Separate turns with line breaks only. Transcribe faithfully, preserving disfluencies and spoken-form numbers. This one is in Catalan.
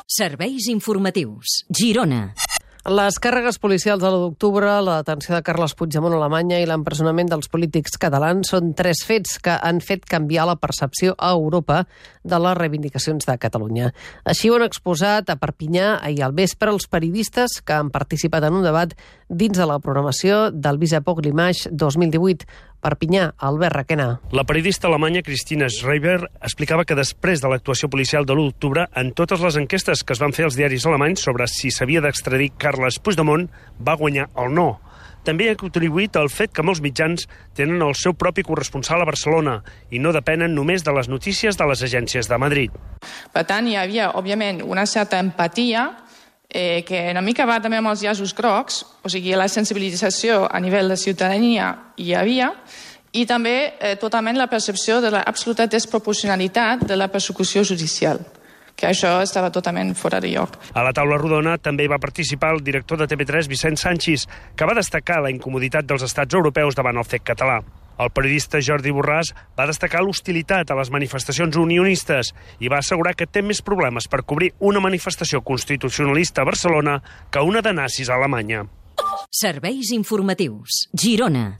Serveis informatius. Girona.
Les càrregues policials de l'u d'octubre, la detenció de Carles Puigdemont a Alemanya i l'empresonament dels polítics catalans són tres fets que han fet canviar la percepció a Europa de les reivindicacions de Catalunya. Així ho han exposat a Perpinyà ahir al vespre els periodistes que han participat en un debat dins de la programació del Visapoc Limage dos mil divuit. Perpinyà, Albert Requena.
La periodista alemanya Christina Schreiber explicava que després de l'actuació policial de l'u d'octubre, en totes les enquestes que es van fer als diaris alemanys sobre si s'havia d'extradir Carles Puigdemont, va guanyar el no. També ha contribuït al fet que molts mitjans tenen el seu propi corresponsal a Barcelona i no depenen només de les notícies de les agències de Madrid.
Per tant, hi havia, òbviament, una certa empatia eh, que una mica va també amb els llaços grocs, o sigui, la sensibilització a nivell de ciutadania hi havia, i també eh, totalment la percepció de l'absoluta desproporcionalitat de la persecució judicial, que això estava totalment fora de lloc.
A la taula rodona també va participar el director de T V tres, Vicent Sanchis, que va destacar la incomoditat dels estats europeus davant el fet català. El periodista Jordi Borràs va destacar l'hostilitat a les manifestacions unionistes i va assegurar que té més problemes per cobrir una manifestació constitucionalista a Barcelona que una de nazis a Alemanya.
Serveis informatius. Girona.